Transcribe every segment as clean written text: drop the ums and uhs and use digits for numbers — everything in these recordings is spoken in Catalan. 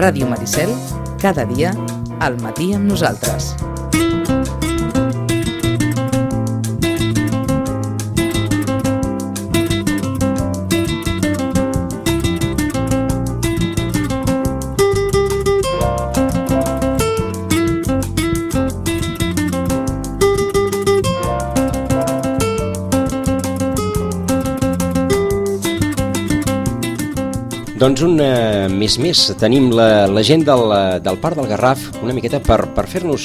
Ràdio Maricel, cada dia, al matí amb nosaltres. Doncs un mes més tenim la gent del Parc del Garraf una miqueta per fer-nos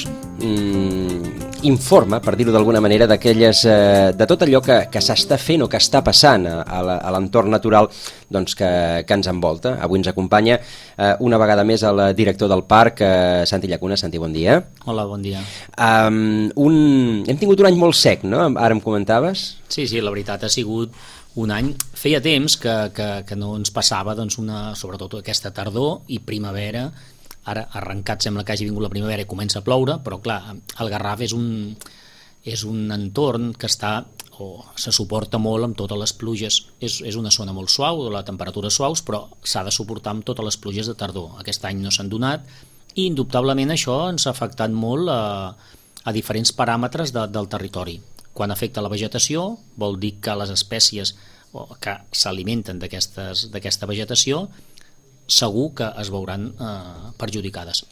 informe, per dir-ho d'alguna manera, de tot allò que s'està fent o que està passant a l'entorn natural doncs, que ens envolta. Avui ens acompanya una vegada més el director del parc, Santi Llacuna. Santi, bon dia. Hola, bon dia. Hem tingut un any molt sec, no? Ara em comentaves? Sí, la veritat ha sigut un any. Feia temps que no ens passava doncs, sobretot aquesta tardor i primavera. Ara arrencat sembla que hagi vingut la primavera i comença a ploure, però clar, el Garraf és un entorn que se suporta molt amb totes les pluges. És una zona molt suau, la temperatura suaus, però s'ha de suportar amb totes les pluges de tardor. Aquest any no s'han donat i indubtablement això ens ha afectat molt a diferents paràmetres del territori. Quan afecta la vegetació, vol dir que les espècies que s'alimenten d'aquesta vegetació segur que es veuran perjudicades.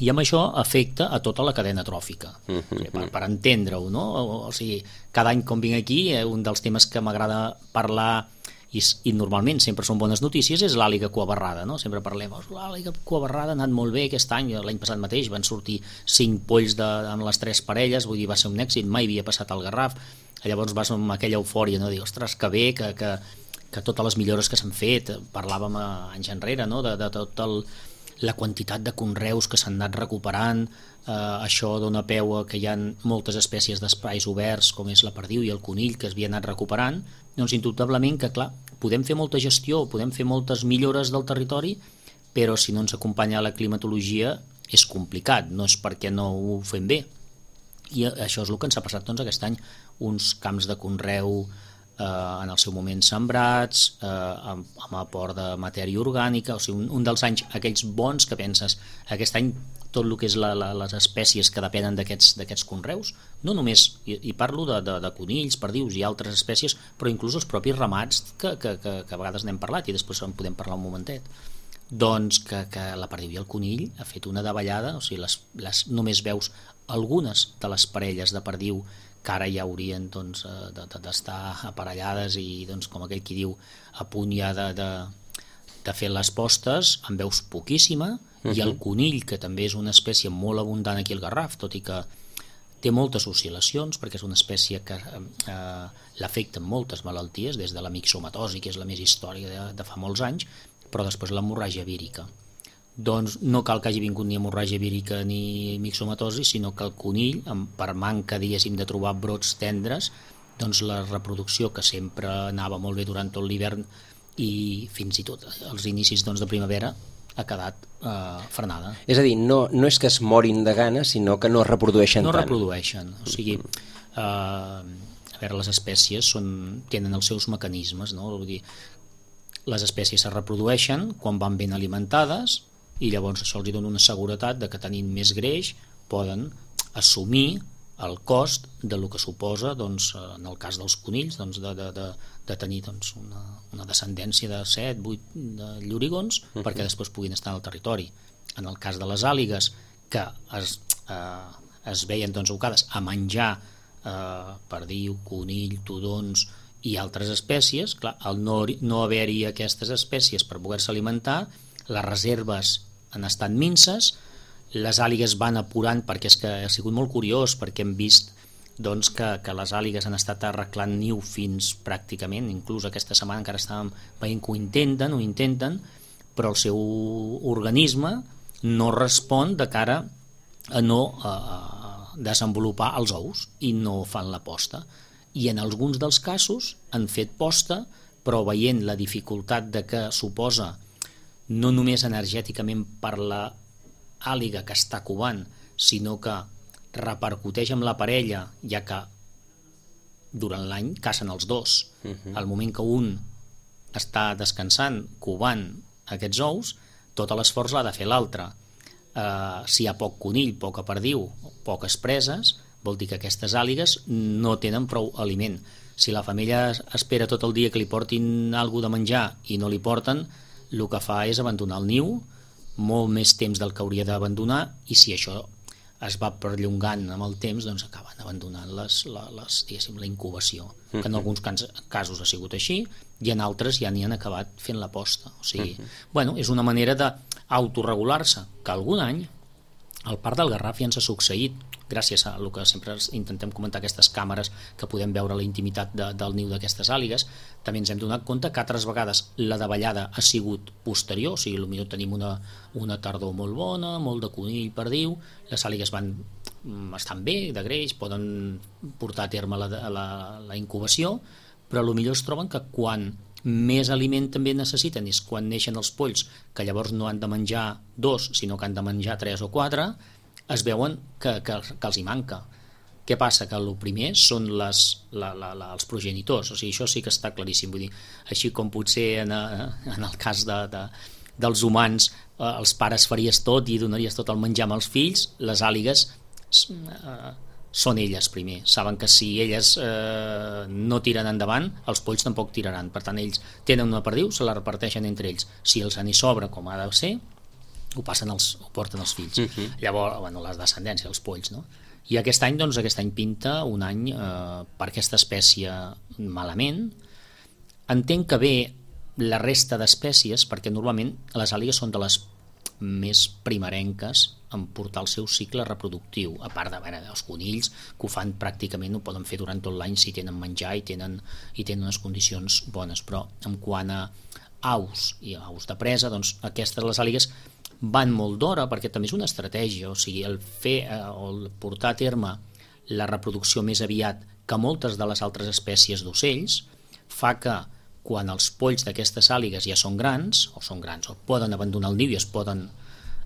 I amb això afecta a tota la cadena tròfica. Per entendre-ho, no? O sigui, cada any quan vinc aquí, un dels temes que m'agrada parlar i normalment sempre són bones notícies és l'àliga cuabarrada, no? Sempre parlem, l'àliga cuabarrada ha anat molt bé aquest any, l'any passat mateix van sortir 5 polls amb les 3 parelles, vull dir, va ser un èxit, mai havia passat al Garraf. Llavors vas amb aquella eufòria, no? Dir, ostres, que bé, que totes les millores que s'han fet, parlàvem anys enrere, no? De tota la quantitat de conreus que s'han anat recuperant, això dona peu a que hi ha moltes espècies d'espais oberts, com és la perdiu i el conill, que es havien anat recuperant. Doncs indubtablement que, clar, podem fer molta gestió, podem fer moltes millores del territori, però si no ens acompanya la climatologia és complicat, no és perquè no ho fem bé. I això és el que ens ha passat doncs, aquest any, uns camps de conreu en el seu moment sembrats, amb aport de matèria orgànica, o sigui, un dels anys aquells bons que penses, aquest any tot el que és les espècies que depenen d'aquests conreus, no només, i parlo de conills, perdius i altres espècies, però inclús els propis ramats que a vegades n'hem parlat i després en podem parlar un momentet, doncs que la perdiu i el conill ha fet una davallada, o sigui, només veus algunes de les parelles de perdiu que ara ja haurien doncs, d'estar aparellades i doncs, com aquell qui diu a punt ja de fer les postes, en veus poquíssima, i el conill, que també és una espècie molt abundant aquí al Garraf, tot i que té moltes oscil·lacions, perquè és una espècie que l'afecten moltes malalties, des de la mixomatosi, que és la més històrica de fa molts anys, però després l'hemorràgia vírica. Doncs no cal que hagi vingut ni hemorràgia vírica ni mixomatosi, sinó que el conill, per manca, diguéssim, de trobar brots tendres, doncs la reproducció, que sempre anava molt bé durant tot l'hivern i fins i tot els inicis doncs, de primavera, ha quedat frenada. És a dir, no és que es morin de gana, sinó que no es reprodueixen tant. No reprodueixen, o sigui, a veure, les espècies tenen els seus mecanismes, no? Vull dir, les espècies es reprodueixen quan van ben alimentades i llavors això els dona una seguretat de que tenint més greix poden assumir el cost del que suposa, doncs, en el cas dels conills, doncs, de tenir doncs, una descendència de 7-8 de llorigons perquè després puguin estar en el territori. En el cas de les àligues, que es veien doncs, abocades a menjar perdiu, conill, tudons i altres espècies, clar, al no haver-hi aquestes espècies per poder-se alimentar, les reserves han estat minses, les àligues van apurant, perquè és que ha sigut molt curiós, perquè hem vist doncs, que les àligues han estat arreglant niu fins pràcticament, inclús aquesta setmana encara estàvem veient que ho intenten, però el seu organisme no respon de cara a no desenvolupar els ous i no fan la posta. I en alguns dels casos han fet posta, però veient la dificultat de que suposa no només energèticament per la àliga que està covant, sinó que repercuteix amb la parella, ja que durant l'any cacen els dos. Al moment que un està descansant, covant aquests ous, tot l'esforç l'ha de fer l'altre. Si hi ha poc conill, poca perdiu, poques preses, vol dir que aquestes àligues no tenen prou aliment. Si la femella espera tot el dia que li portin alguna de menjar i no li porten, el que fa és abandonar el niu, molt més temps del que hauria d'abandonar, i si això es va perllongant amb el temps, doncs acaben abandonant la incubació, que en alguns casos ha sigut així, i en altres ja n'hi han acabat fent la posta. O sigui, bueno, és una manera d'autoregular-se, que algun any al Parc del Garraf ja ens ha succeït, gràcies a el que sempre intentem comentar, aquestes càmeres que podem veure la intimitat del niu d'aquestes àligues. També ens hem donat compte que altres vegades la davallada ha sigut posterior, o sigui, potser tenim una tardor molt bona, molt de conill perdiu, les àligues estan bé, de greix, poden portar a terme la incubació, però potser es troben que quan més aliment també necessiten és quan neixen els polls, que llavors no han de menjar 2, sinó que han de menjar 3 o 4, es veuen que els hi manca. Què passa? Que el primer són els progenitors, o sigui, això sí que està claríssim, vull dir, així com potser en el cas dels humans els pares faries tot i donaries tot el menjar amb els fills, les àligues són elles primer, saben que si elles no tiren endavant, els polls tampoc tiraran, per tant ells tenen una perdiu, se la reparteixen entre ells, si els n'hi sobra com ha de ser, ho porten els fills. Llavors, bueno, la descendència, els polls, no? I aquest any pinta un any per aquesta espècie malament. Entenc que ve la resta d'espècies, perquè normalment les àligues són de les més primerenques en portar el seu cicle reproductiu, a part dels conills, que ho fan pràcticament, ho poden fer durant tot l'any si tenen menjar i tenen unes condicions bones, però en quant a aus i aus de presa, doncs aquestes, les àligues, van molt d'hora, perquè també és una estratègia, o sigui, el portar a terme la reproducció més aviat que moltes de les altres espècies d'ocells fa que quan els polls d'aquestes àligues ja són grans, o poden abandonar el niu i es poden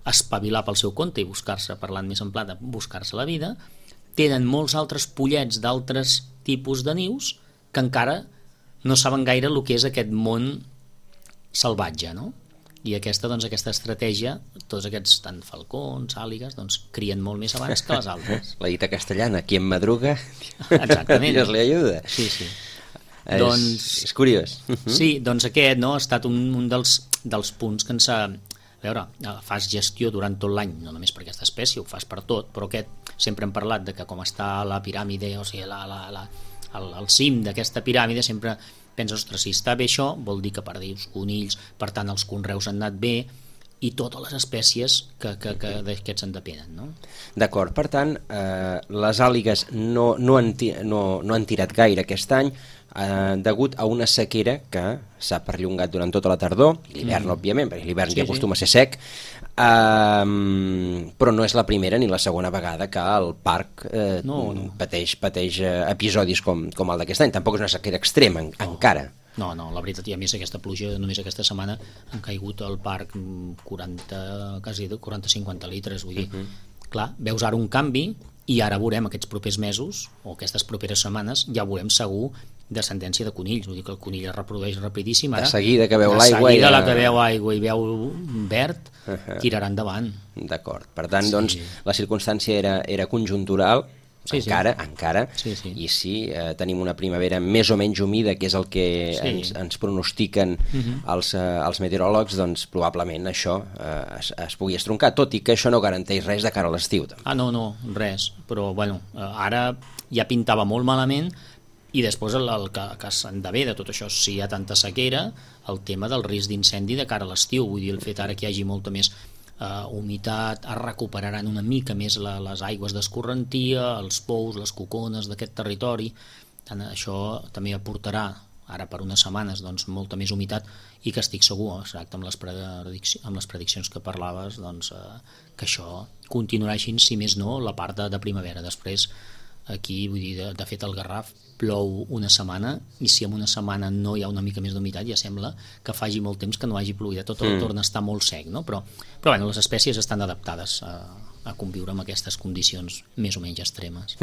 espavilar pel seu compte i buscar-se, parlant més en pla de buscar-se la vida, tenen molts altres pollets d'altres tipus de nius que encara no saben gaire el que és aquest món salvatge, no? I aquesta estratègia, tots aquests, tant falcons, àligues, doncs crien molt més abans que les altres. La dita castellana, qui en madruga, exactament. Dios li ajuda. Sí. És curiós. Sí, doncs aquest ha estat un dels punts que ens ha... A veure, fas gestió durant tot l'any, no només per aquesta espècie, ho fas per tot, però aquest sempre hem parlat de que com està la piràmide, o sigui, el cim d'aquesta piràmide, sempre penses, ostres, si està bé això, vol dir que perdius conills, per tant els conreus han anat bé, i totes les espècies que d'aquests en depenen, no? D'acord, per tant, les àligues no han tirat gaire aquest any, degut a una sequera que s'ha perllongat durant tota la tardor, l'hivern, òbviament, perquè l'hivern ja acostuma a ser sec, però no és la primera ni la segona vegada que el parc pateix episodis com el d'aquest any. Tampoc és una sequera extrema, encara. No, la veritat, i a més aquesta pluja, només aquesta setmana han caigut al parc 40-50 litres, vull dir, clar, veus ara un canvi, i ara veurem aquests propers mesos, o aquestes properes setmanes, ja veurem segur descendència de conills, vull dir que el conill es reprodueix rapidíssim, ara, de seguida que veu l'aigua, la que veu aigua i veu verd, tirarà endavant. D'acord, per tant, doncs, la circumstància era conjuntural, encara, i si tenim una primavera més o menys humida, que és el que ens pronostiquen els meteoròlegs, doncs probablement això es pugui estroncar, tot i que això no garanteix res de cara a l'estiu. No, res, però bueno, ara ja pintava molt malament, i després el que s'endevé de tot això, si hi ha tanta sequera, el tema del risc d'incendi de cara a l'estiu, vull dir, el fet ara que hi hagi molta més humitat, es recuperaran una mica més les aigües d'escorrentia, els pous, les cocones d'aquest territori, tant això també aportarà ara per unes setmanes doncs, molta més humitat, i que estic segur, exacte, amb les prediccions que parlaves, doncs, que això continuarà així, si més no, la part de primavera. Després aquí, vull dir, de fet el Garraf plou una setmana, i si en una setmana no hi ha una mica més d'humitat, ja sembla que faci molt temps que no hagi plogut, tot torna a estar molt sec, no? Però bueno, les espècies estan adaptades a conviure amb aquestes condicions més o menys extremes.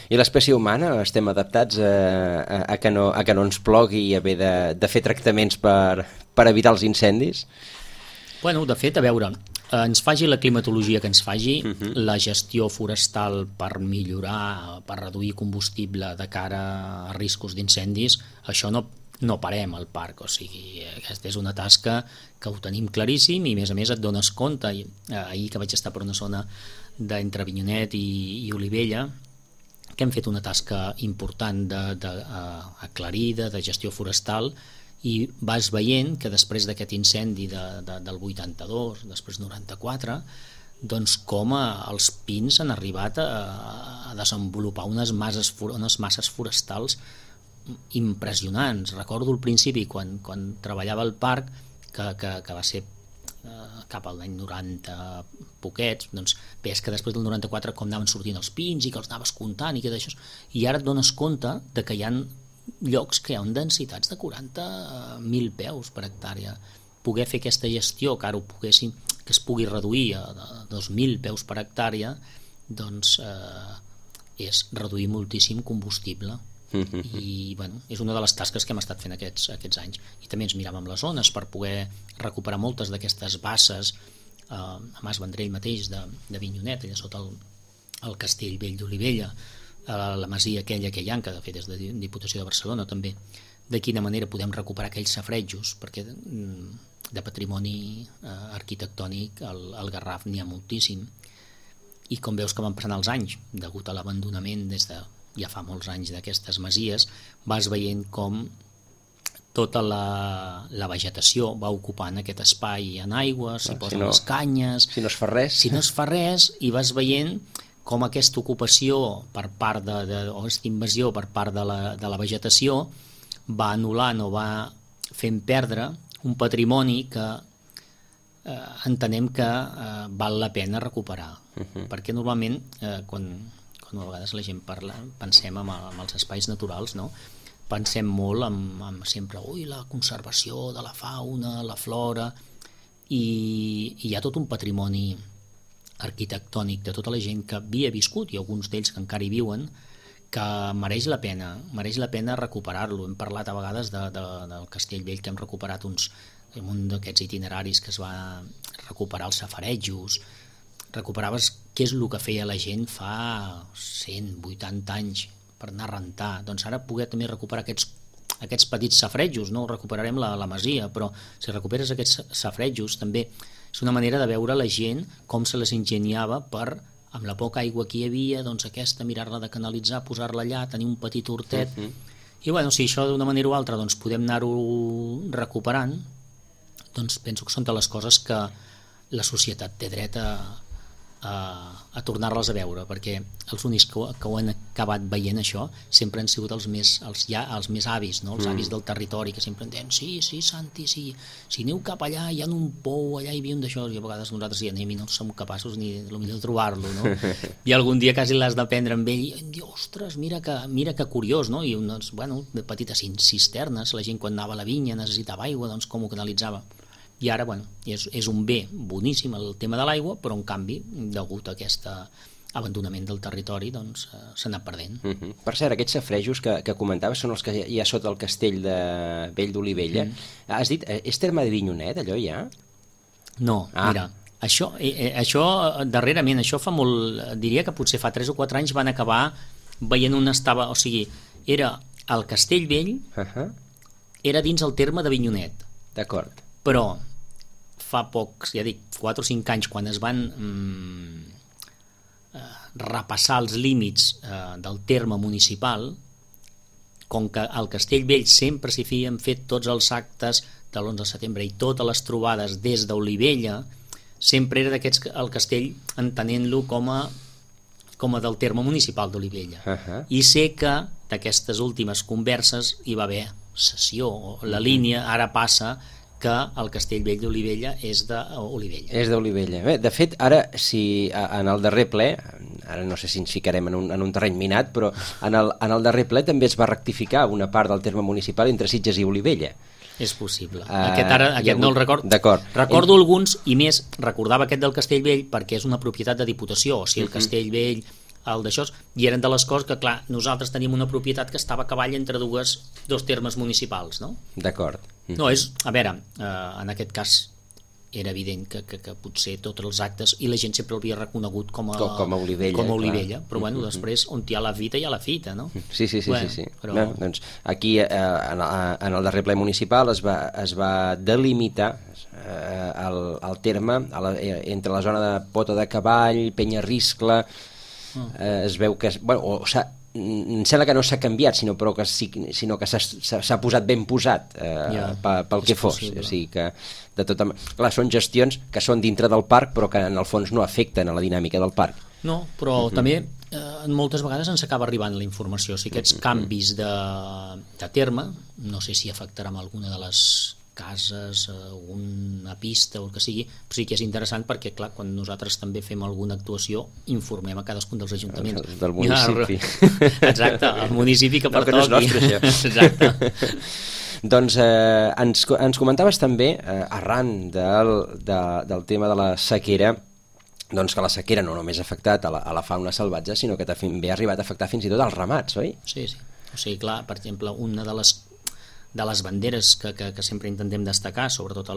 I l'espècie humana estem adaptats a que no ens plogui i haver de fer tractaments per evitar els incendis? Bueno, de fet, a veure, ens faci la climatologia que ens faci, la gestió forestal per millorar, per reduir combustible de cara a riscos d'incendis, això no parem al parc, o sigui, aquesta és una tasca que ho tenim claríssim i a més et dones compte, ahir que vaig estar per una zona d'entre Avinyonet i Olivella, que hem fet una tasca important aclarida, de gestió forestal, i vas veient que després d'aquest incendi del 82, després 94, doncs com els pins han arribat a desenvolupar unes masses forestals impressionants. Recordo al principi, quan treballava al parc, que va ser cap a l'any 90 poquets, doncs veies que després del 94 com anaven sortint els pins i que els anaves comptant i que d'això, i ara et dones compte de que hi ha llocs que hi ha densitats de 40.000 peus per hectàrea. Poder fer aquesta gestió, que ara que es pugui reduir a 2.000 peus per hectàrea, doncs és reduir moltíssim combustible. I bueno, és una de les tasques que hem estat fent aquests anys, i també ens miràvem les zones per poder recuperar moltes d'aquestes basses a Mas Vendrell mateix de Avinyonet, allà sota el Castell Vell d'Olivella, la masia aquella que hi ha, que de fet és de Diputació de Barcelona també, de quina manera podem recuperar aquells safaretjos, perquè de patrimoni arquitectònic al Garraf n'hi ha moltíssim, i com veus que van passant els anys degut a l'abandonament des de ja fa molts anys d'aquestes masies, vas veient com tota la vegetació va ocupant aquest espai en aigua, s'hi posen les canyes, si no es fa res, i vas veient com aquesta ocupació per part o aquesta invasió per part de la vegetació va anul·lant o va fent perdre un patrimoni que entenem que val la pena recuperar, perquè normalment quan a vegades la gent pensem en els espais naturals, no? Pensem molt en sempre la conservació de la fauna, la flora, i hi ha tot un patrimoni arquitectònic de tota la gent que havia viscut, i alguns d'ells que encara hi viuen, que mereix la pena recuperar-lo. Hem parlat a vegades del Castell Vell, que hem recuperat un d'aquests itineraris que es va recuperar els safarejos, recuperaves què és el que feia la gent fa 180 anys per anar a rentar. Doncs ara poder també recuperar aquests petits safarejos, no recuperarem la masia, però si recuperes aquests safarejos també és una manera de veure la gent com se les ingeniava per, amb la poca aigua que hi havia, doncs aquesta, mirar-la de canalitzar, posar-la allà, tenir un petit hortet, i bueno, si això d'una manera o altra doncs podem anar-ho recuperant, doncs penso que són de les coses que la societat té dret a tornar-les a veure, perquè els únics que ho han acabat veient això sempre han sigut els més avis, no? Els avis del territori, que sempre em diuen sí, Santi, si aneu cap allà hi ha un pou, allà hi havia un d'això, i a vegades nosaltres hi anem i no som capaços ni de trobar-lo, no? I algun dia quasi l'has d'aprendre amb ell i em diu, ostres, mira que curiós, no? I unes, de petites cisternes, la gent quan anava a la vinya necessitava aigua, doncs com ho canalitzava. I ara, és un bé boníssim el tema de l'aigua, però en canvi, degut a aquest abandonament del territori, doncs s'ha anat perdent. Per cert, aquests safarejos que comentaves són els que hi ha sota el castell de Vell d'Olivella. Has dit, és terme de Avinyonet, allò ja? No, mira, això darrerament, això fa molt, diria que potser fa 3 o 4 anys van acabar veient on estava, o sigui, era el Castell Vell, era dins el terme d'Avinyonet. D'acord. Però fa pocs, ja dic, 4 o 5 anys, quan es van repassar els límits del terme municipal, com que al Castell Vell sempre s'hi havien fet tots els actes de l'11 de setembre i totes les trobades des d'Olivella, sempre era d'aquests el castell entenent-lo com a del terme municipal d'Olivella. I sé que d'aquestes últimes converses hi va haver cessió, la línia ara passa que el Castell Vell d'Olivella és d'Olivella. És d'Olivella. Bé, de fet, ara, si en el darrer ple, ara no sé si ens ficarem en un terreny minat, però en el darrer ple també es va rectificar una part del terme municipal entre Sitges i Olivella. És possible. Aquest no el record. D'acord. Recordo alguns, i més, recordava aquest del Castell Vell perquè és una propietat de Diputació, o sigui, el Castell Vell, el d'això, i eren de les coses que, clar, nosaltres teníem una propietat que estava a cavall entre dos termes municipals, no? D'acord. No, a veure, en aquest cas era evident que potser tots els actes, i la gent sempre l'havia reconegut com a Olivella, però bueno, després on hi ha la fita hi ha la fita, no? Sí. Però... No, doncs aquí en el darrer ple municipal es va delimitar el terme entre la zona de Pota de Cavall, Penyarriscle, es veu que em sembla que no s'ha canviat, sinó que s'ha posat ben posat pel que fos. O sigui que clar, són gestions que són dintre del parc però que en el fons no afecten a la dinàmica del parc. No, però també moltes vegades ens acaba arribant la informació. O sigui, aquests canvis de terme, no sé si afectarà amb alguna de les cases, una pista o el que sigui, però sí que és interessant perquè, clar, quan nosaltres també fem alguna actuació, informem a cadascun dels ajuntaments. Del municipi. Exacte, el municipi que pertoqui. No, que no és nostre, això. Exacte. Doncs ens comentaves també, arran del tema de la sequera, doncs que la sequera no només ha afectat a la fauna salvatge, sinó que també ha arribat a afectar fins i tot als ramats, oi? Sí. O sigui, clar, per exemple, una de les banderes que sempre intentem destacar, sobretot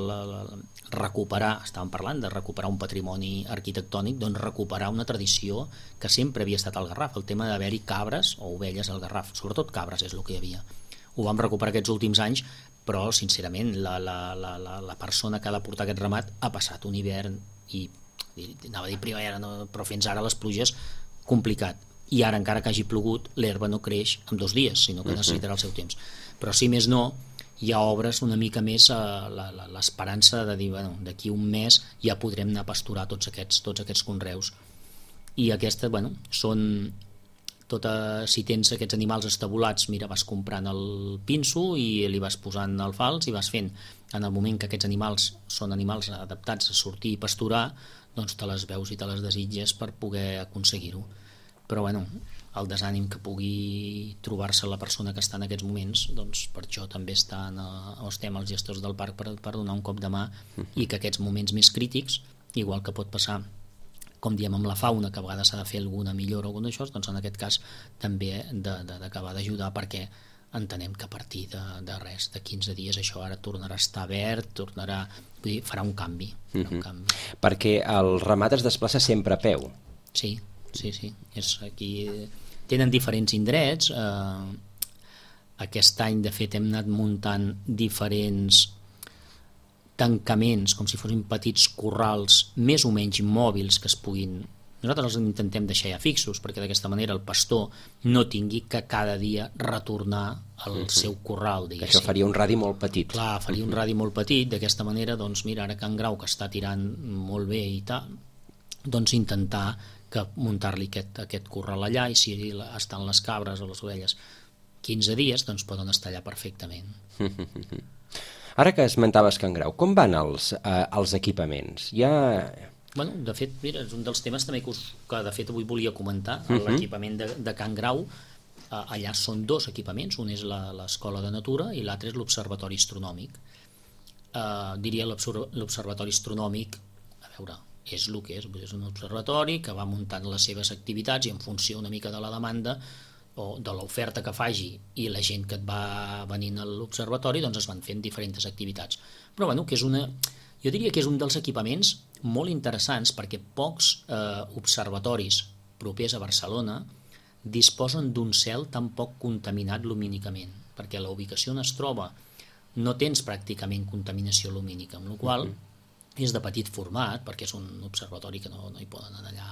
recuperar, estàvem parlant de recuperar un patrimoni arquitectònic, doncs recuperar una tradició que sempre havia estat al Garraf, el tema d'haver-hi cabres o ovelles al Garraf, sobretot cabres és el que hi havia. Ho vam recuperar aquests últims anys, però sincerament la persona que ha de portar aquest ramat ha passat un hivern i anava a dir primavera, no, però fins ara les pluges complicat, i ara encara que hagi plogut l'herba no creix en 2 dies, sinó que necessitarà el seu temps. Però si més no, ja obres una mica més l'esperança de dir, bueno, d'aquí un mes ja podrem anar a pasturar tots aquests conreus. I aquestes, bueno, són si tens aquests animals estabulats, mira, vas comprant el pinso i li vas posant el fals i vas fent. En el moment que aquests animals són animals adaptats a sortir i pasturar, doncs te les veus i te les desitges per poder aconseguir-ho. Però bueno, el desànim que pugui trobar-se la persona que està en aquests moments, doncs per això també estem els gestors del parc per donar un cop de mà, i que aquests moments més crítics, igual que pot passar, com diem amb la fauna, que a vegades s'ha de fer alguna millora o alguna d'això, doncs en aquest cas també d'acabar d'ajudar, perquè entenem que a partir de 15 dies això ara tornarà a estar verd, vull dir, farà un canvi. Perquè el ramat es desplaça sempre a peu. Sí. Aquí tenen diferents indrets. Aquest any, de fet, hem anat muntant diferents tancaments, com si fossin petits corrals més o menys mòbils que es puguin... Nosaltres els intentem deixar ja fixos, perquè d'aquesta manera el pastor no tingui que cada dia retornar al seu corral, diguéssim. Això faria un radi molt petit. Clar, faria un radi molt petit. D'aquesta manera, doncs mira, ara Can Grau, que està tirant molt bé i tal, doncs intentar que muntar-li aquest corral allà, i si estan les cabres o les ovelles 15 dies, doncs poden estar allà perfectament. Ara que esmentaves Can Grau, com van els equipaments? Bueno, de fet, mira, és un dels temes també que de fet avui volia comentar. L'equipament de Can Grau, allà són 2 equipaments, un és l'Escola de Natura i l'altre és l'Observatori Astronòmic. Diria l'Observatori Astronòmic, a veure, és el que és un observatori que va muntant les seves activitats i en funció una mica de la demanda o de l'oferta que faci i la gent que et va venint a l'observatori, doncs es van fent diferents activitats. Però bueno, jo diria que és un dels equipaments molt interessants, perquè pocs observatoris propers a Barcelona disposen d'un cel tan poc contaminat lumínicament, perquè la ubicació on es troba no tens pràcticament contaminació lumínica, amb la qual és de petit format, perquè és un observatori que no hi poden anar allà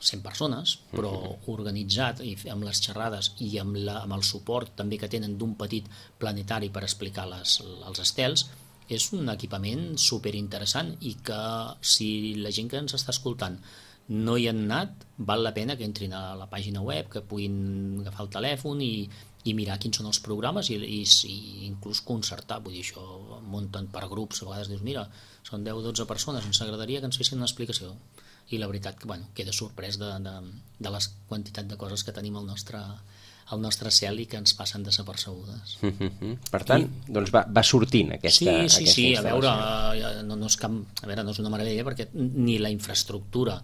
100 persones, però organitzat i amb les xerrades i amb el suport també que tenen d'un petit planetari per explicar els estels, és un equipament superinteressant i que si la gent que ens està escoltant no hi han anat, val la pena que entrin a la pàgina web, que puguin agafar el telèfon i mirar quins són els programes i inclús concertar, vull dir, això munten per grups, a vegades dius, mira, són 10 o 12 persones, ens agradaria que ens fessin una explicació, i la veritat que, bueno, queda sorprès de la quantitat de coses que tenim al nostre cel i que ens passen desapercebudes. Per tant, doncs va sortint aquesta Sí, a veure, no és una meravella perquè ni la infraestructura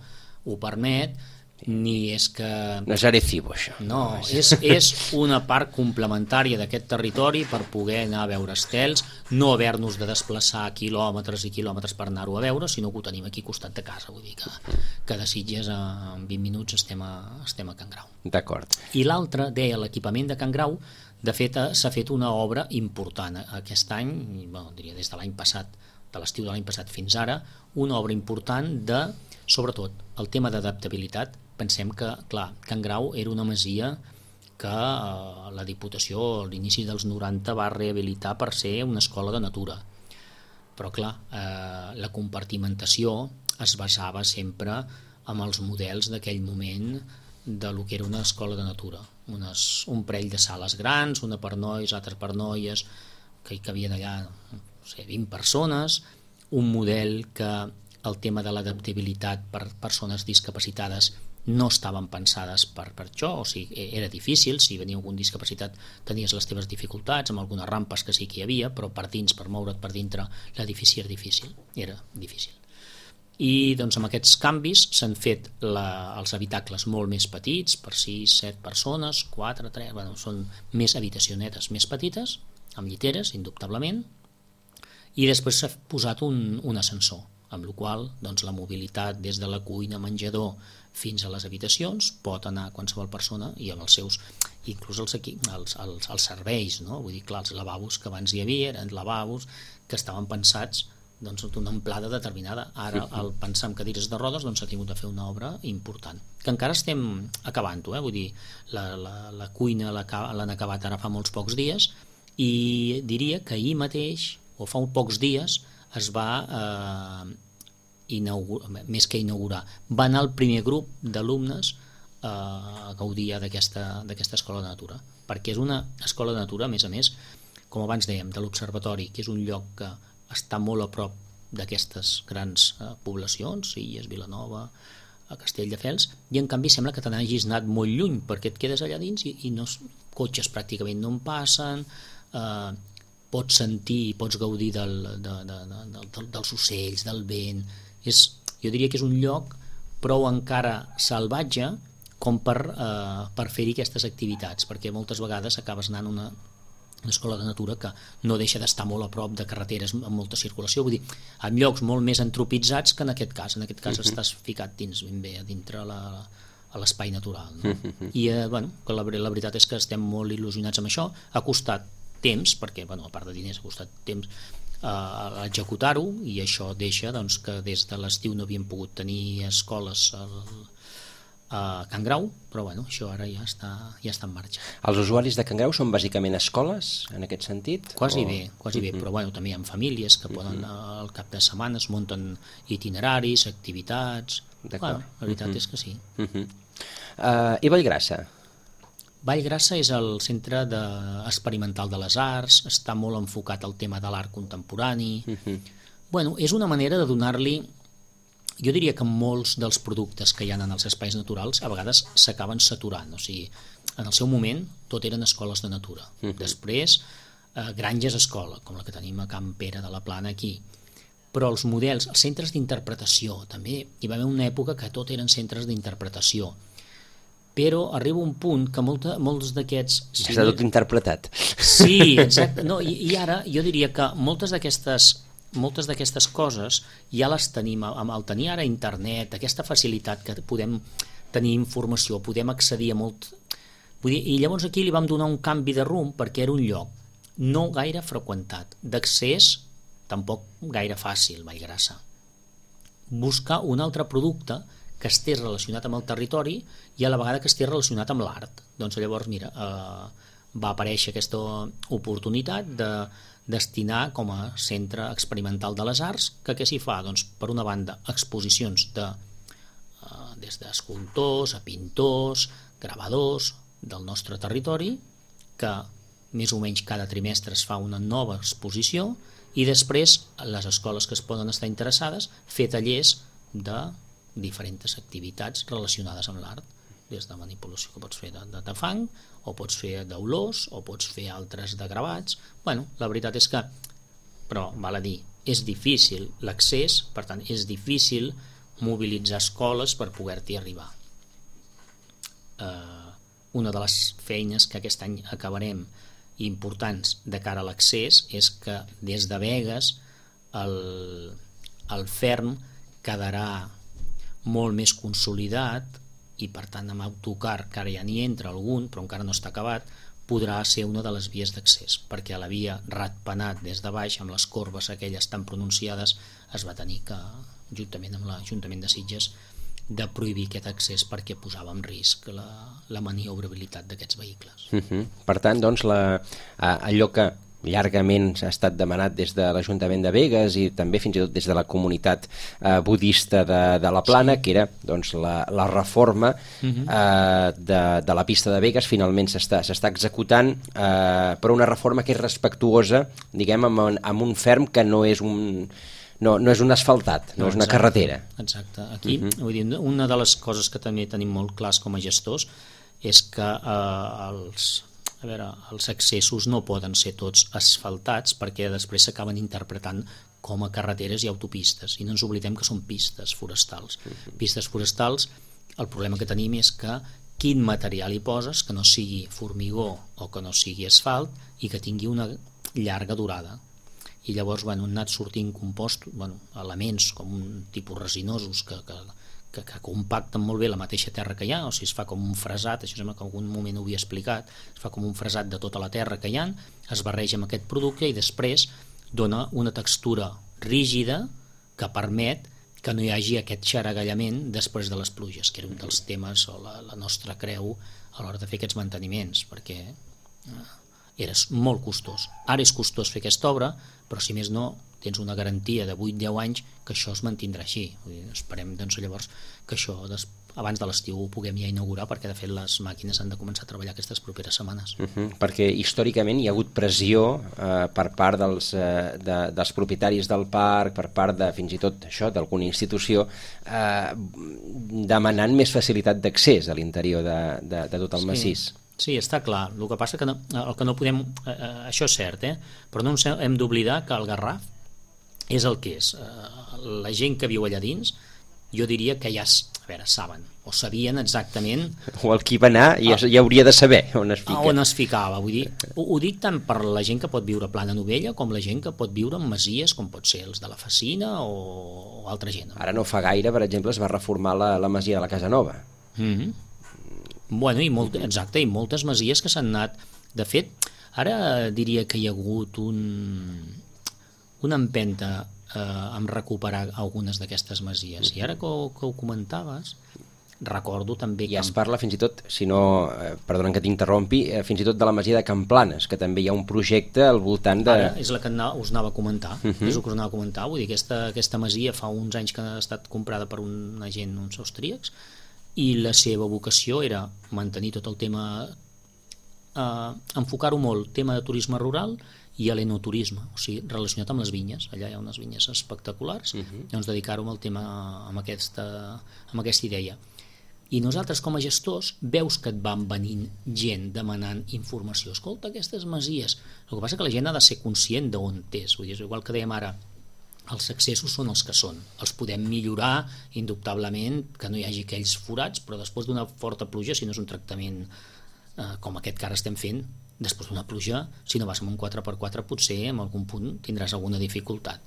ho permet, ni és que... No és Arecibo, això. No, és una part complementària d'aquest territori per poder anar a veure estels, no haver-nos de desplaçar quilòmetres i quilòmetres per anar-ho a veure, sinó que ho tenim aquí al costat de casa, vull dir que de Sitges en 20 minuts estem a Can Grau. D'acord. I l'altre, deia, l'equipament de Can Grau, de fet s'ha fet una obra important aquest any, bueno, diria des de l'any passat, de l'estiu de l'any passat fins ara, una obra important de, sobretot, el tema d'adaptabilitat. Pensem que, clar, Can Grau era una masia que la Diputació a l'inici dels 90 va rehabilitar per ser una escola de natura. Però, clar, la compartimentació es basava sempre en els models d'aquell moment de lo que era una escola de natura. Un parell de sales grans, una per nois, altres per noies, que hi cabien allà, no sé, 20 persones, un model que el tema de l'adaptabilitat per persones discapacitades no estaven pensades per això, o sigui, era difícil, si venia algun discapacitat tenies les teves dificultats, amb algunes rampes que sí que hi havia, però per dins, per moure't per dintre, l'edifici era difícil. I doncs amb aquests canvis s'han fet els habitacles molt més petits, per 6, 7 persones, 4, 3, bueno, són més habitacionetes més petites, amb lliteres, indubtablement, i després s'ha posat un ascensor, amb la qual doncs, la mobilitat des de la cuina, menjador, fins a les habitacions pot anar qualsevol persona i amb els seus, inclús els serveis, no? Vull dir, clar, els lavabos que abans hi havia eren lavabos que estaven pensats doncs, d'una amplada determinada. Ara, al pensar en cadires de rodes, doncs s'ha tingut de fer una obra important, que encara estem acabant-ho, vull dir, la cuina l'han acabat ara fa molts pocs dies i diria que ahir mateix, o fa uns pocs dies, es va més que inaugurar, va anar el primer grup d'alumnes a gaudir d'aquesta escola de natura, perquè és una escola de natura, a més, com abans dèiem, de l'observatori, que és un lloc que està molt a prop d'aquestes grans poblacions, Sitges, Vilanova, a Castelldefels, i en canvi sembla que te n'hagis anat molt lluny, perquè et quedes allà dins i cotxes pràcticament no en passen, pots sentir, pots gaudir dels ocells, del vent. Jo diria que és un lloc prou encara salvatge com per fer-hi aquestes activitats, perquè moltes vegades acabes anant a una escola de natura que no deixa d'estar molt a prop de carreteres amb molta circulació, vull dir, en llocs molt més antropitzats que en aquest cas. En aquest cas estàs ficat dins, ben bé, a dintre a l'espai natural, no? I bueno, la veritat és que estem molt il·lusionats amb això. Ha costat temps, perquè a part de diners ha costat temps a executar-ho, i això deixa doncs, que des de l'estiu no havíem pogut tenir escoles a Can Grau, però bueno, això ara ja està en marxa. Els usuaris de Can Grau són bàsicament escoles, en aquest sentit? Quasi bé, però bueno, també hi ha famílies que poden al cap de setmana es munten itineraris, activitats. Bueno, la veritat és que sí. I Vallgrassa? Vallgrassa és el centre experimental de les arts, està molt enfocat al tema de l'art contemporani. Bueno, és una manera de donar-li, jo diria que molts dels productes que hi ha en els espais naturals a vegades s'acaben saturant, o sigui, en el seu moment tot eren escoles de natura, després granges escola, com la que tenim a Can Pere de la Plana aquí, però els models, els centres d'interpretació, també hi va haver una època que tot eren centres d'interpretació, però arriba un punt que molts d'aquests... Està tot interpretat. Sí, exacte. No, i ara jo diria que moltes d'aquestes coses ja les tenim, al tenir ara internet, aquesta facilitat que podem tenir informació, podem accedir a molt... I llavors aquí li vam donar un canvi de rumb perquè era un lloc no gaire freqüentat, d'accés tampoc gaire fàcil, Vallgrassa. Buscar un altre producte que estés relacionat amb el territori i a la vegada que estés relacionat amb l'art. Doncs llavors, mira, va aparèixer aquesta oportunitat de destinar com a centre experimental de les arts, que què s'hi fa? Doncs, per una banda, exposicions des d'escultors a pintors, gravadors del nostre territori, que més o menys cada trimestre es fa una nova exposició, i després les escoles que es poden estar interessades fer tallers de diferents activitats relacionades amb l'art, des de manipulació que pots fer de fang, o pots fer d'olors, o pots fer altres de gravats. Bueno, la veritat és que, però val a dir, és difícil l'accés, per tant és difícil mobilitzar escoles per poder-t'hi arribar. una de les feines que aquest any acabarem importants de cara a l'accés és que des de Begues el ferm quedarà molt més consolidat i per tant amb autocar, que ara ja n'hi entra algun però encara no està acabat, podrà ser una de les vies d'accés, perquè a la via Ratpenat des de baix, amb les corbes aquelles tan pronunciades, es va tenir que, juntament amb l'Ajuntament de Sitges, de prohibir aquest accés perquè posava en risc la maniobrabilitat d'aquests vehicles. Per tant, doncs, allò que llargament s'ha estat demanat des de l'Ajuntament de Begues i també fins i tot des de la comunitat budista de la Plana, que era doncs, la reforma de la pista de Begues, finalment s'està executant, però una reforma que és respectuosa, diguem, amb un ferm que no és un asfaltat, no és una carretera. Exacte. Aquí, vull dir, una de les coses que també tenim molt clars com a gestors és que els accessos no poden ser tots asfaltats perquè després s'acaben interpretant com a carreteres i autopistes, i no ens oblidem que són pistes forestals. Pistes forestals, el problema que tenim és que quin material hi poses que no sigui formigó o que no sigui asfalt i que tingui una llarga durada. I llavors han anat sortint elements com un tipus resinosos que compacten molt bé la mateixa terra que hi ha, o sigui, es fa com un fresat, això sembla que en algun moment ho havia explicat, es fa com un fresat de tota la terra que hi ha, es barreja amb aquest producte i després dona una textura rígida que permet que no hi hagi aquest xaragallament després de les pluges, que era un dels temes o la nostra creu a l'hora de fer aquests manteniments, perquè era molt costós. Ara és costós fer aquesta obra, però si més no tens una garantia de 8-10 anys que això es mantindrà així. Esperem doncs, llavors que això abans de l'estiu ho puguem ja inaugurar, perquè de fet les màquines han de començar a treballar aquestes properes setmanes. Perquè històricament hi ha hagut pressió per part dels propietaris del parc, per part de fins i tot això d'alguna institució, demanant més facilitat d'accés a l'interior de tot el massís. Sí, està clar. El que passa que el que no podem... això és cert, però no hem d'oblidar que el Garraf és el que és. La gent que viu allà dins, jo diria que ja saben, o sabien exactament... O el qui va anar ja hauria de saber on es fica. On es ficava. Vull dir, ho dic tant per la gent que pot viure a Plana Novella com la gent que pot viure en masies, com pot ser els de la Facina o altra gent. Ara no fa gaire, per exemple, es va reformar la masia de la Casa Nova. Bueno, exacte, i moltes masies que s'han anat... De fet, ara diria que hi ha hagut una empenta en recuperar algunes d'aquestes masies. I ara que ho comentaves, recordo també que... I es parla fins i tot, si no, perdona que t'interrompi, fins i tot de la masia de Camplanes, que també hi ha un projecte al voltant de... Ara és la que us anava a comentar, és el que us anava a comentar, vull dir, aquesta masia fa uns anys que ha estat comprada per una gent, uns austríacs, i la seva vocació era mantenir tot el tema, enfocar-ho molt, tema de turisme rural i l'enoturisme, o sigui, relacionat amb les vinyes. Allà hi ha unes vinyes espectaculars, llavors dedicar-ho al tema, amb aquesta idea. I nosaltres, com a gestors, veus que et van venint gent demanant informació. Escolta, aquestes masies... El que passa és que la gent ha de ser conscient d'on és, vull dir, és igual que dèiem ara, els accessos són els que són, els podem millorar indubtablement, que no hi hagi aquells forats, però després d'una forta pluja, si no és un tractament com aquest que ara estem fent, després d'una pluja, si no vas amb un 4x4 potser en algun punt tindràs alguna dificultat,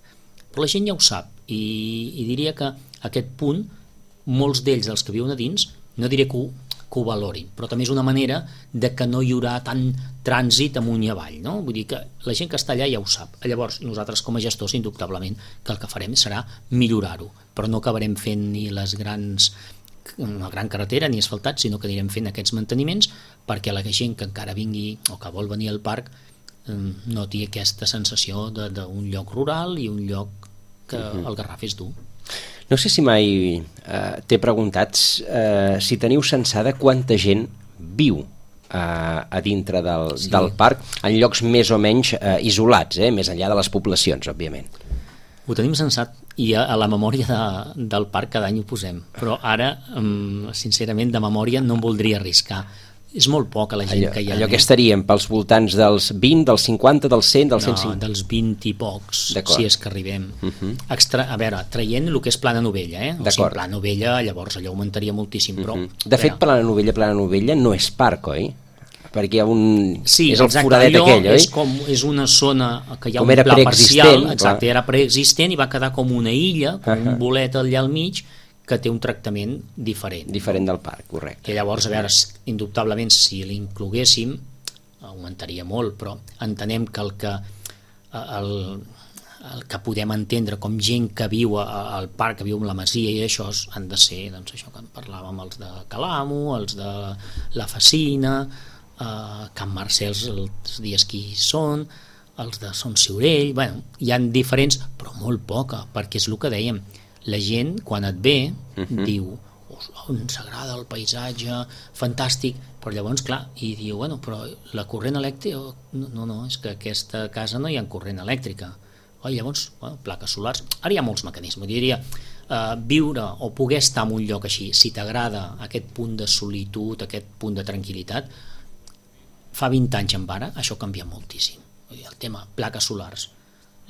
però la gent ja ho sap, i diria que aquest punt molts d'ells, els que viuen a dins, no diré que ho valorin, però també és una manera de que no hi haurà tant trànsit amunt i avall, no? Vull dir que la gent que està allà ja ho sap. Llavors nosaltres com a gestors indubtablement que el que farem serà millorar-ho, però no acabarem fent ni una gran carretera ni asfaltat, sinó que anirem fent aquests manteniments perquè la gent que encara vingui o que vol venir al parc noti aquesta sensació d'un lloc rural i un lloc que el Garraf és dur. No sé si mai t'he preguntat si teniu censada quanta gent viu a dintre del parc, en llocs més o menys isolats, més enllà de les poblacions, òbviament. Ho tenim censat i a la memòria del parc cada any ho posem, però ara, sincerament, de memòria no em voldria arriscar. És molt poca la gent que hi ha. Allò que estaríem pels voltants dels 20, dels 50, dels 100, dels 105? No, dels 20 i pocs, si és que arribem. A veure, traient el que és Plana Novella, o sigui, Plana Novella, llavors allò augmentaria moltíssim, però... De fet, Plana Novella no és parc, oi? Perquè hi ha sí, és el foradet aquell, oi? És una zona que hi ha com un pla parcial, exacte, era preexistent i va quedar com una illa, com un bolet allà al mig, que té un tractament diferent. Diferent del parc, correcte. Que llavors, a veure, indubtablement, si l'incloguéssim, augmentaria molt, però entenem que el que podem entendre com gent que viu al parc, que viu en la masia i això, han de ser, doncs això que en parlàvem, els de Calamo, els de la Facina, Can Marcels els dies que hi són, els de Son Ciurell, bueno, hi han diferents, però molt poca, perquè és el que dèiem, la gent, quan et ve, diu, ens agrada el paisatge, fantàstic, però llavors, clar, i diu, bueno, però la corrent elèctrica, no, és que a aquesta casa no hi ha corrent elèctrica. Llavors, plaques solars, ara hi ha molts mecanismes, diria, viure o poder estar en un lloc així, si t'agrada aquest punt de solitud, aquest punt de tranquil·litat, fa 20 anys en ara, això canvia moltíssim. El tema plaques solars,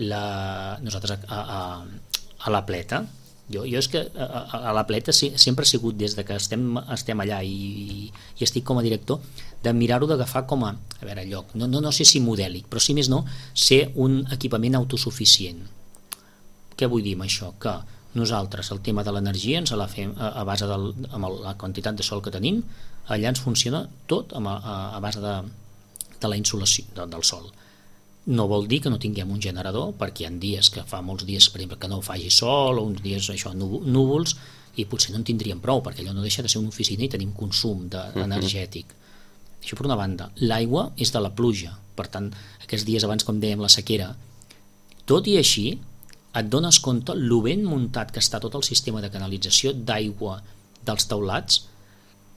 nosaltres a la Pleta, jo és que a la Pleta sempre he sigut, des de que estem allà i estic com a director, de mirar-ho d'agafar com a veure, lloc, no sé si modèlic, però si més no, ser un equipament autosuficient. Què vull dir amb això? Que nosaltres el tema de l'energia ens la fem a base amb la quantitat de sol que tenim, allà ens funciona tot a base de la insolació del sol. No vol dir que no tinguem un generador, perquè hi ha dies que fa molts dies, per exemple, que no faci sol, o uns dies núvols, i potser no en tindríem prou, perquè allò no deixa de ser una oficina i tenim consum energètic. Això per una banda. L'aigua és de la pluja, per tant, aquests dies abans, com dèiem, la sequera. Tot i així, et dones compte lo ben muntat que està tot el sistema de canalització d'aigua dels teulats,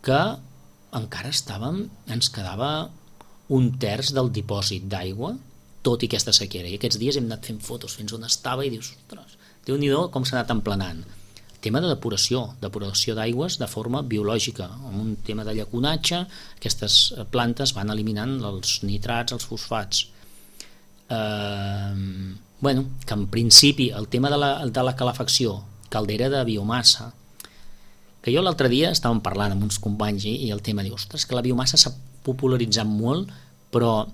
que encara ens quedava un terç del dipòsit d'aigua, tot i aquesta sequera, i aquests dies hem anat fent fotos fins on estava i dius, ostres, Déu-n'hi-do com s'ha anat emplenant. Tema de depuració d'aigües de forma biològica, amb un tema de llaconatge, aquestes plantes van eliminant els nitrats, els fosfats. Que en principi el tema de la calefacció, caldera de biomassa, que jo l'altre dia estàvem parlant amb uns companys i el tema diu, ostres, que la biomassa s'ha popularitzat molt, però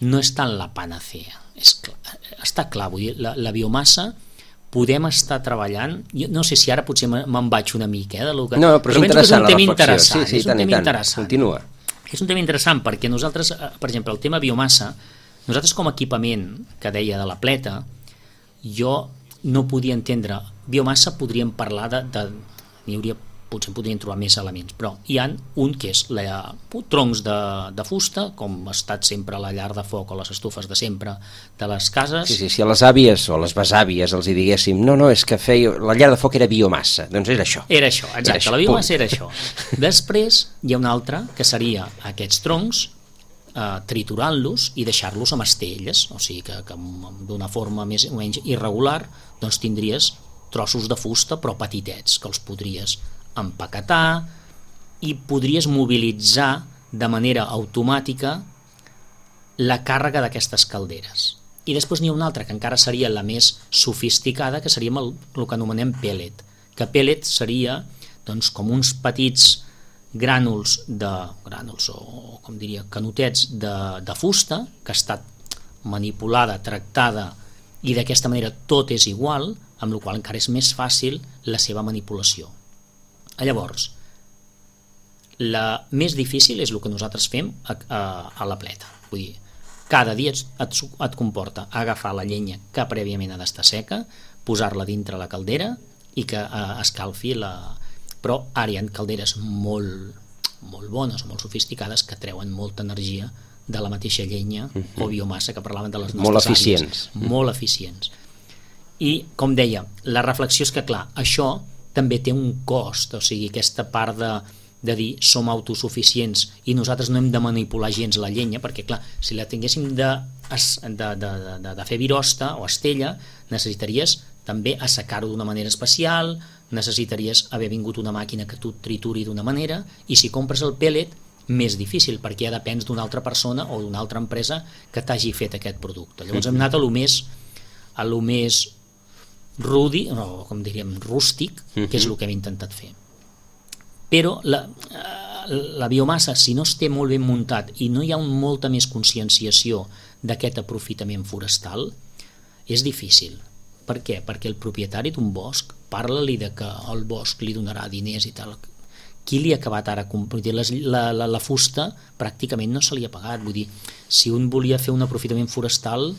no és tant la panacea. Està clar, vull dir, la biomassa podem estar treballant, jo no sé si ara potser me'n vaig una mica de lo que... No, però és interessant la reflexió. Sí, continua. És un tema interessant perquè nosaltres, per exemple, el tema biomassa, nosaltres com a equipament que deia de la Pleta, jo no podia entendre biomassa, podríem parlar potser podrien trobar més elements, però hi ha un que és troncs de fusta, com ha estat sempre la llar de foc o les estufes de sempre de les cases. Sí, si a les àvies o les besàvies els hi diguéssim, no, és que la llar de foc era biomassa, doncs era això. Era això, exacte, la biomassa era això. Després hi ha un altre que seria aquests troncs, triturant-los i deixar-los amb estelles, o sigui que d'una forma més o menys irregular, doncs tindries trossos de fusta però petitets, que els podries empaquetar i podries mobilitzar de manera automàtica la càrrega d'aquestes calderes. I després n'hi ha una altra que encara seria la més sofisticada, que seria el que anomenem pellet, que pellet seria doncs, com uns petits grànuls o com diria, canutets de fusta que ha estat manipulada, tractada i d'aquesta manera tot és igual, amb la qual encara és més fàcil la seva manipulació. Llavors, la més difícil és el que nosaltres fem a la Pleta. Vull dir, cada dia et comporta agafar la llenya que prèviament ha d'estar seca, posar-la dintre la caldera i que escalfi Però ara hi ha calderes molt bones o molt sofisticades que treuen molta energia de la mateixa llenya o biomassa que parlaven de les nostres àvies. Molt eficients. I, com deia, la reflexió és que, clar, això també té un cost, o sigui, aquesta part de dir som autosuficients i nosaltres no hem de manipular gens la llenya, perquè clar, si la tinguéssim de fer virosta o estella, necessitaries també assecar-ho d'una manera especial, necessitaries haver vingut una màquina que tu trituri d'una manera, i si compres el pellet més difícil, perquè ja depens d'una altra persona o d'una altra empresa que t'hagi fet aquest producte. Llavors hem anat a lo més rudi, o com diríem, rústic, que és el que hem intentat fer. Però la biomassa, si no es té molt ben muntat i no hi ha molta més conscienciació d'aquest aprofitament forestal, és difícil. Per què? Perquè el propietari d'un bosc, parla-li de que el bosc li donarà diners i tal. Qui li ha acabat ara? La fusta pràcticament no se li ha pagat. Vull dir, si un volia fer un aprofitament forestal,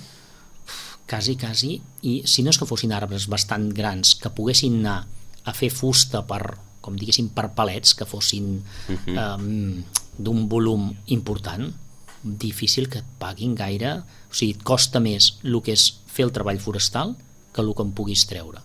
quasi, i si no és que fossin arbres bastant grans, que poguessin anar a fer fusta per, com diguéssim, per palets, que fossin d'un volum important, difícil que et paguin gaire. O sigui, et costa més el que és fer el treball forestal que el que en puguis treure.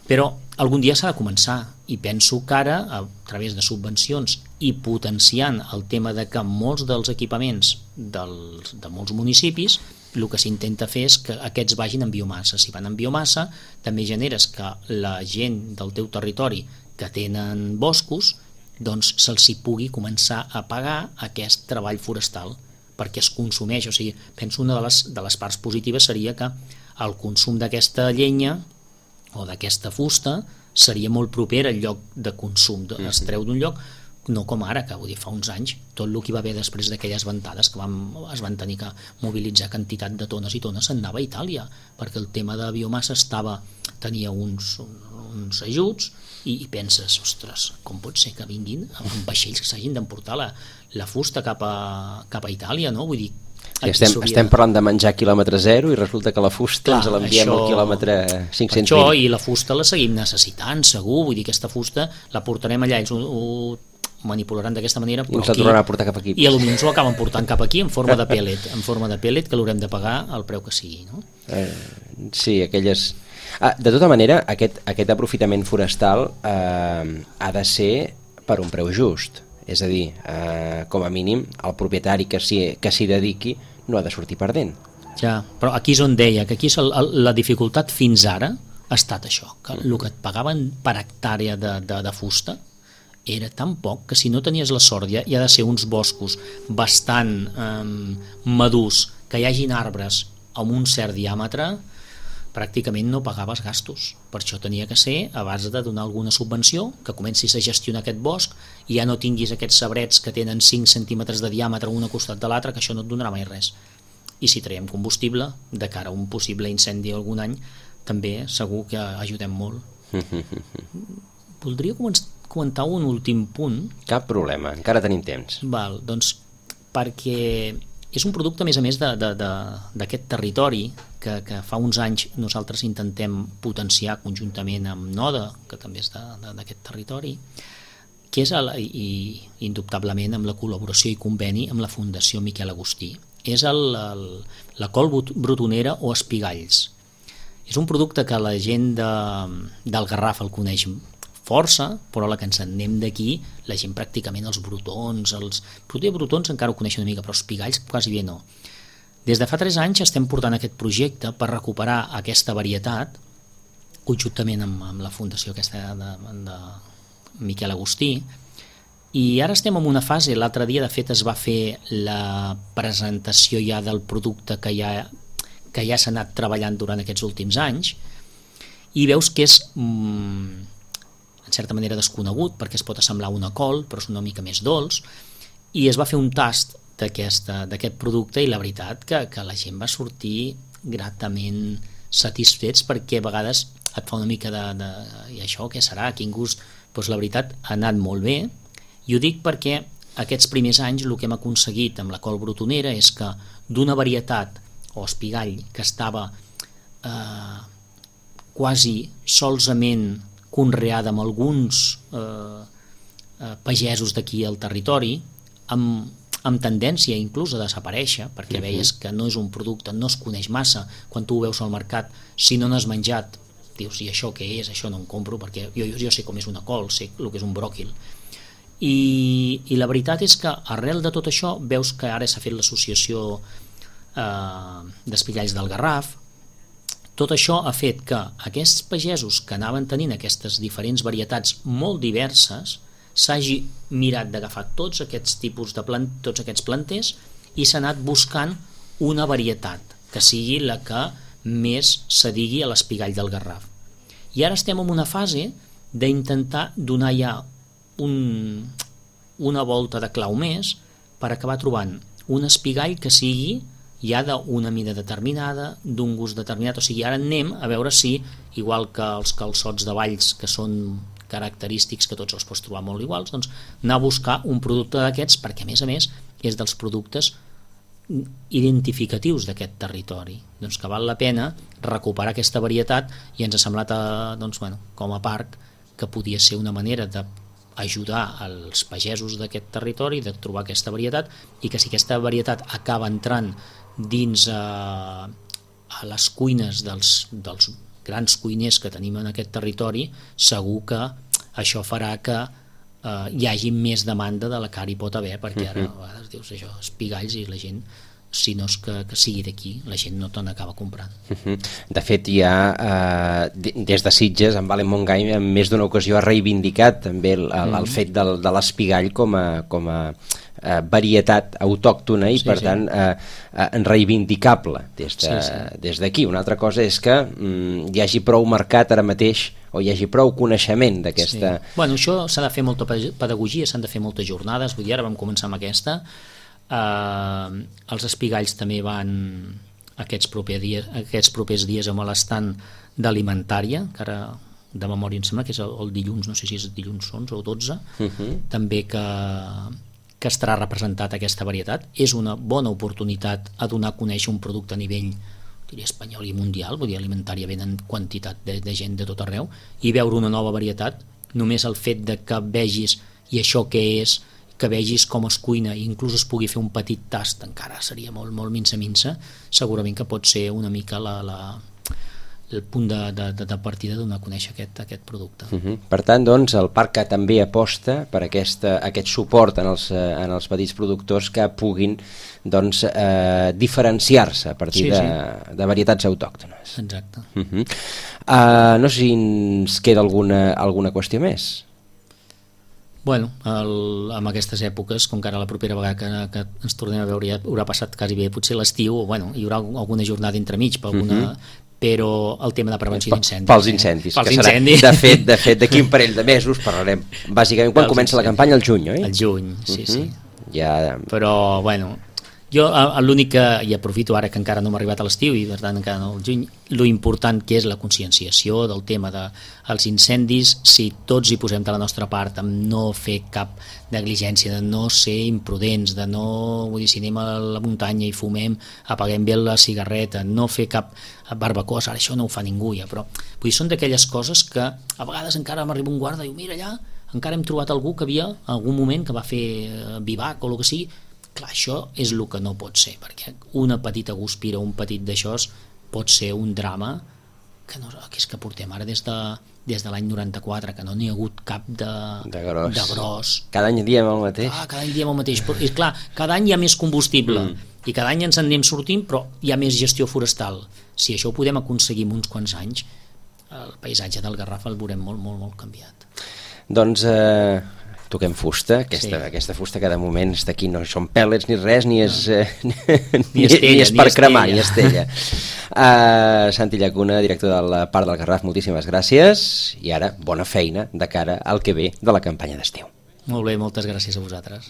Però algun dia s'ha de començar, i penso que ara, a través de subvencions i potenciant el tema de que molts dels equipaments de molts municipis, el que s'intenta fer és que aquests vagin en biomassa. Si van en biomassa, també generes que la gent del teu territori que tenen boscos, doncs se'ls hi pugui començar a pagar aquest treball forestal, perquè es consumeix. O sigui, penso una de les parts positives seria que el consum d'aquesta llenya o d'aquesta fusta seria molt proper al lloc de consum, es treu d'un lloc, no com ara, que vull dir, fa uns anys tot el que hi va haver després d'aquelles ventades que es van tenir que mobilitzar quantitat de tones i tones, se'n anava a Itàlia, perquè el tema de biomassa tenia uns ajuts, i penses, ostres, com pot ser que vinguin amb vaixells que s'hagin d'emportar la fusta cap a Itàlia, no? Vull dir, estem parlant de menjar quilòmetre zero i resulta que la fusta ens l'enviem al quilòmetre 520. Això, i la fusta la seguim necessitant, segur. Vull dir, aquesta fusta la portarem allà, ells ho manipularan d'aquesta manera, i ens la tornaran a portar cap aquí. I potser ens ho acaben portant cap aquí en forma de pellet, que l'haurem de pagar al preu que sigui, no? Sí, aquelles... de tota manera, aquest aprofitament forestal ha de ser per un preu just. És a dir, com a mínim, el propietari que s'hi dediqui no ha de sortir perdent. Ja, però aquí és on deia que aquí la dificultat fins ara ha estat això, que el que et pagaven per hectàrea de fusta era tan poc que si no tenies la sort, ja ha de ser uns boscos bastant madurs, que hi hagin arbres amb un cert diàmetre, pràcticament no pagaves gastos. Per això tenia que ser a base de donar alguna subvenció, que comencis a gestionar aquest bosc i ja no tinguis aquests sabrets que tenen 5 centímetres de diàmetre un a costat de l'altre, que això no et donarà mai res. I si traiem combustible de cara a un possible incendi algun any, també segur que ajudem molt. Voldria comentar un últim punt. Cap problema, encara tenim temps. Val, doncs perquè és un producte, a més d'aquest territori que fa uns anys nosaltres intentem potenciar conjuntament amb NODA, que també és d'aquest territori, que és, indubtablement, amb la col·laboració i conveni amb la Fundació Miquel Agustí. És la col brotonera o espigalls. És un producte que la gent del Garraf el coneix força, però la que ens en anem d'aquí, la gent pràcticament els brotons, brotons encara ho coneixen una mica, però espigalls quasi bé no. Des de fa 3 anys estem portant aquest projecte per recuperar aquesta varietat, conjuntament amb la fundació aquesta de Miquel Agustí, i ara estem en una fase, l'altre dia de fet es va fer la presentació ja del producte que ja s'ha anat treballant durant aquests últims anys, i veus que és en certa manera desconegut, perquè es pot assemblar una col, però és una mica més dolç, i es va fer un tast d'aquest producte, i la veritat que la gent va sortir gratament satisfets, perquè a vegades et fa una mica i això què serà, quin gust? Doncs la veritat ha anat molt bé, i ho dic perquè aquests primers anys el que hem aconseguit amb la col brotonera és que d'una varietat o espigall que estava quasi solament conreada amb alguns pagesos d'aquí al territori, amb tendència inclús a desaparèixer, perquè veies que no és un producte, no es coneix massa, quan tu ho veus al mercat, si no n'has menjat, dius, i això què és? Això no em compro, perquè jo sé com és una col, sé el que és un bròquil. I la veritat és que arrel de tot això veus que ara s'ha fet l'associació d'espigalls del Garraf. Tot això ha fet que aquests pagesos que anaven tenint aquestes diferents varietats molt diverses s'hagi mirat d'agafar tots aquests tipus de tots aquests planters i s'ha anat buscant una varietat que sigui la que més s'adigui a l'espigall del Garraf. I ara estem en una fase d'intentar donar ja una volta de clau més per acabar trobant un espigall que sigui ja d'una mida determinada, d'un gust determinat. O sigui, ara anem a veure si, igual que els calçots de Valls, que són característics que tots els pots trobar molt iguals, doncs anar a buscar un producte d'aquests, perquè a més és dels productes identificatius d'aquest territori, doncs que val la pena recuperar aquesta varietat, i ens ha semblat com a parc que podia ser una manera d'ajudar els pagesos d'aquest territori, de trobar aquesta varietat, i que si aquesta varietat acaba entrant dins a les cuines dels grans cuiners que tenim en aquest territori, segur que això farà que hi hagi més demanda de la que ara hi pot haver, perquè ara a vegades dius això, espigalls, i la gent, si no és que sigui d'aquí, la gent no te n'acaba comprant. De fet, ja des de Sitges, en Valen Montgai en més d'una ocasió ha reivindicat també el fet de l'espigall com a varietat autòctona i per tant reivindicable des d'aquí. Una altra cosa és que hi hagi prou mercat ara mateix, o hi hagi prou coneixement d'aquesta... Bueno, això s'ha de fer molta pedagogia, s'han de fer moltes jornades, vull dir, ara vam començar amb aquesta. Els espigalls també van aquests propers dies amb l'estant d'alimentària, que ara de memòria em sembla que és el dilluns, no sé si és dilluns 11 o 12, també que estarà representat aquesta varietat. És una bona oportunitat a donar a conèixer un producte a nivell, diria, espanyol i mundial. Vull dir, alimentària venen quantitat de gent de tot arreu, i veure una nova varietat, només el fet de que vegis i això què és, que vegis com es cuina i inclús es pugui fer un petit tast, encara seria molt, molt minsa, segurament que pot ser una mica el punt de partida de donar a conèixer aquest producte. Per tant, doncs, el parc també aposta per aquest suport en els petits productors que puguin diferenciar-se a partir de varietats autòctones. Exacte. No sé si ens queda alguna qüestió més. Bueno, en aquestes èpoques, com que ara la propera vegada que ens tornem a veure ja haurà passat quasi bé potser l'estiu, hi haurà alguna jornada entremig, però el tema de prevenció d'incendis. Pels incendis. De fet, d'aquí un parell de mesos parlarem, bàsicament, quan comença la campanya? Al juny, oi? Al juny, sí. Però, bueno, jo l'únic que, i aprofito ara que encara no m'ha arribat a l'estiu i per tant encara no al juny, lo important que és la conscienciació del tema dels incendis, si tots hi posem de la nostra part, amb no fer cap negligència, de no ser imprudents, de no, vull dir, si anem a la muntanya i fumem, apaguem bé la cigarreta, no fer cap barbacoa, ara això no ho fa ningú ja, però vull dir, són d'aquelles coses que a vegades encara m'arriba un guarda i diu, mira allà, encara hem trobat algú que havia en algun moment que va fer vivac o el que sigui. Clar, això és el que no pot ser, perquè una petita guspira, un petit d'això pot ser un drama que és que portem ara des de l'any 94, que no n'hi ha hagut cap de gros. Cada any diem el mateix. Cada any diem el mateix, però és clar, cada any hi ha més combustible i cada any ens en anem sortint, però hi ha més gestió forestal. Si això ho podem aconseguir en uns quants anys, el paisatge del Garraf el veurem molt, molt, molt canviat. Doncs toquem fusta, aquesta fusta que de moment està aquí, no són pèl·lets ni res, ni és per cremar, ni estella. Santi Llacuna, director del Parc del Garraf, moltíssimes gràcies, i ara bona feina de cara al que ve de la campanya d'estiu. Molt bé, moltes gràcies a vosaltres.